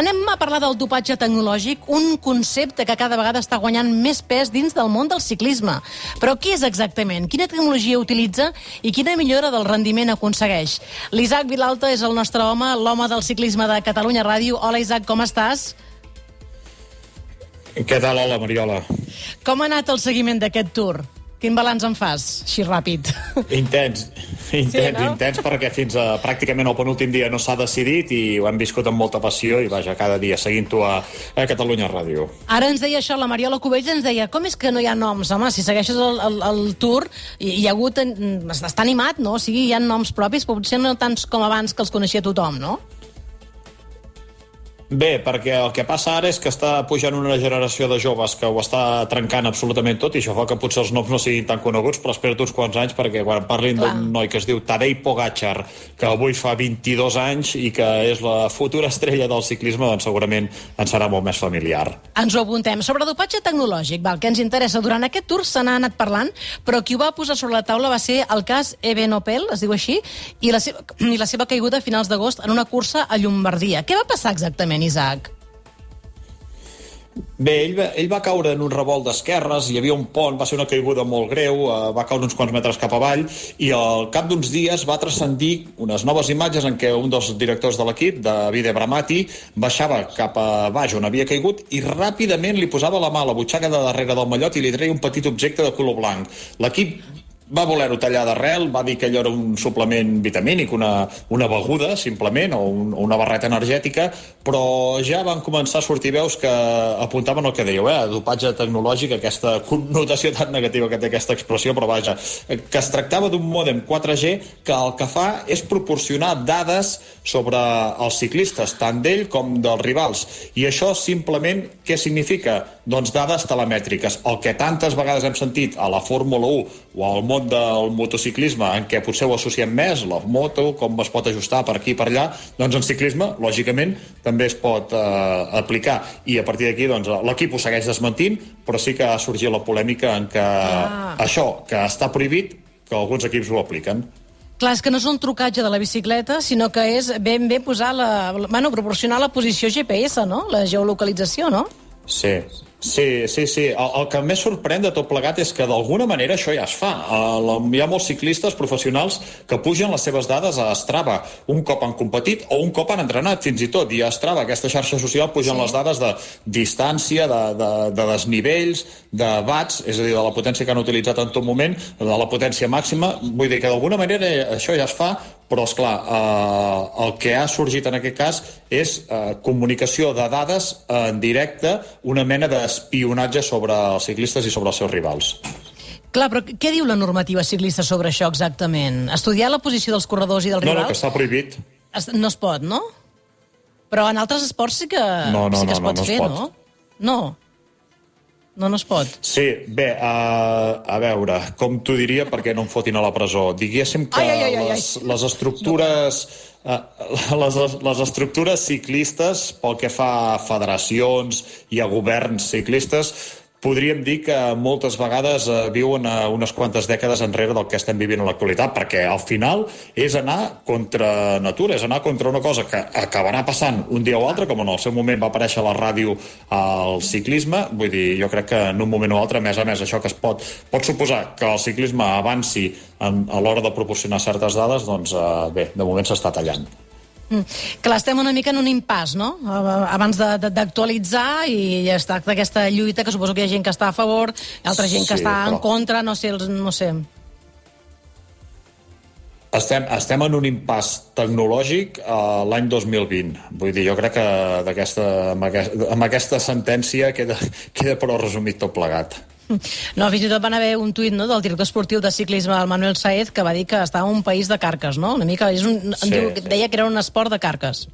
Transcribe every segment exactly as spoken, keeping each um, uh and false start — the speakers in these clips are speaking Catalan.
Ara anem a parlar del dopatge tecnològic, un concepte que cada vegada està guanyant més pes dins del món del ciclisme. Però què és exactament? Quina tecnologia utilitza i quina millora del rendiment aconsegueix? L'Isaac Vilalta és el nostre home, l'home del ciclisme de Catalunya Ràdio. Hola, Isaac, com estàs? Què tal? Hola, Mariola. Com ha anat el seguiment d'aquest Tour? Quin balanç en fas, així ràpid? Intens, intens, sí, no? intens, perquè fins a pràcticament el penúltim dia no s'ha decidit i ho hem viscut amb molta passió i vaja, cada dia seguint-ho a, a Catalunya Ràdio. Ara ens deia això, la Mariola Cubells ens deia, com és que no hi ha noms? Home, si segueixes el, el, el Tour, hi, hi ha hagut, està animat, no? O sigui, hi ha noms propis, però potser no tants com abans que els coneixia tothom, no? Bé, perquè el que passa ara és que està pujant una generació de joves que ho està trencant absolutament tot i això fa que potser els noms no siguin tan coneguts, però espera't uns quants anys perquè quan parlin d'un noi que es diu Tadej Pogačar, que avui fa vint-i-dos anys i que és la futura estrella del ciclisme, doncs segurament ens serà molt més familiar. Ens ho apuntem. Sobre dopatge tecnològic, val, que ens interessa. Durant aquest Tour se n'ha anat parlant, però qui ho va posar sobre la taula va ser el cas Evenepoel, es diu així, i la seva, i la seva caiguda a finals d'agost en una cursa a Llombardia. Què va passar exactament, Isaac? Bé, ell va, ell va caure en un revolt d'esquerres, hi havia un pont, va ser una caiguda molt greu, eh, va caure uns quants metres cap avall i al cap d'uns dies va transcendir unes noves imatges en què un dels directors de l'equip, Davide Bramati, baixava cap a baix on havia caigut i ràpidament li posava la mà a la butxaca de darrere del mallot i li treia un petit objecte de color blanc. L'equip va voler-ho tallar d'arrel, va dir que allò era un suplement vitamínic, una, una beguda, simplement, o un, una barreta energètica, però ja van començar a sortir veus que apuntaven el que dèieu, eh? Dopatge tecnològic, aquesta connotació tan negativa que té aquesta expressió, però vaja, que es tractava d'un mòdem quatre G que el que fa és proporcionar dades sobre els ciclistes, tant d'ell com dels rivals. I això simplement què significa? Doncs dades telemètriques. El que tantes vegades hem sentit a la Fórmula u o al món del motociclisme, en què potser ho associem més, la moto, com es pot ajustar per aquí i per allà, doncs en ciclisme, lògicament, també es pot eh, aplicar. I a partir d'aquí, doncs, l'equip ho segueix desmentint, però sí que ha sorgit la polèmica en què ah. això, que està prohibit, que alguns equips ho apliquen. Clar, és que no és un trucatge de la bicicleta, sinó que és ben bé posar la... Bueno, proporcionar la posició G P S, no? La geolocalització, no? Sí, sí, sí, sí. El, el que més sorprèn de tot plegat és que d'alguna manera això ja es fa. El, hi ha molts ciclistes professionals que pugen les seves dades a Strava un cop han competit o un cop han entrenat, fins i tot. I a Strava, aquesta xarxa social, pugen sí. les dades de distància, de, de, de desnivells, de watts, és a dir, de la potència que han utilitzat en tot moment, de la potència màxima. Vull dir que d'alguna manera això ja es fa, però, esclar, eh, el que ha sorgit en aquest cas és eh, comunicació de dades en directe, una mena d'espionatge sobre els ciclistes i sobre els seus rivals. Clar, però què diu la normativa ciclista sobre això exactament? Estudiar la posició dels corredors i dels rivals? No, no, que està prohibit. Es, no es pot, no? Però en altres esports sí que, no, no, sí que es no, pot no, no fer, es pot. no? No. No, no es pot. Sí, bé, uh, a veure, com t'ho diria perquè no em fotin a la presó. Diguéssim que ai, ai, ai, ai. Les, les estructures... Uh, les, les estructures ciclistes, pel que fa a federacions i a governs ciclistes, podríem dir que moltes vegades uh, viuen uh, unes quantes dècades enrere del que estem vivint en l'actualitat, perquè al final és anar contra natura, és anar contra una cosa que acabarà passant un dia o altre, com en el seu moment va aparèixer a la ràdio al ciclisme. Vull dir, jo crec que en un moment o altre, a més a més, això que es pot, pot suposar que el ciclisme avanci en, a l'hora de proporcionar certes dades, doncs uh, bé, de moment s'està tallant. Mm. Clar, estem una mica en un impàs, no? Abans d'actualitzar i ja està aquesta lluita, que suposo que hi ha gent que està a favor, altra gent que sí, està però... en contra, no sé, no sé. Estem, estem en un impàs tecnològic uh, l'any dos mil vint. Vull dir, jo crec que d'aquesta, amb, aquesta, amb aquesta sentència queda, queda prou resumit tot plegat. No, fins i tot van haver un tuit, no, del director esportiu de ciclisme, el Manuel Saez, que va dir que estava en un país de carques, no? Una mica, és un, sí, diu, sí. Deia que era un esport de carques.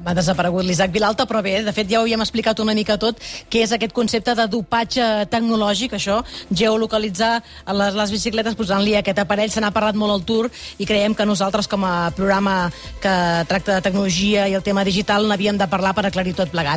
Ha desaparegut l'Isaac Vilalta, però bé, de fet ja ho havíem explicat una mica tot, què és aquest concepte de dopatge tecnològic, això, geolocalitzar les, les bicicletes posant-li aquest aparell. Se n'ha parlat molt al Tour i creiem que nosaltres, com a programa que tracta de tecnologia i el tema digital, n'havíem de parlar per aclarir tot plegat.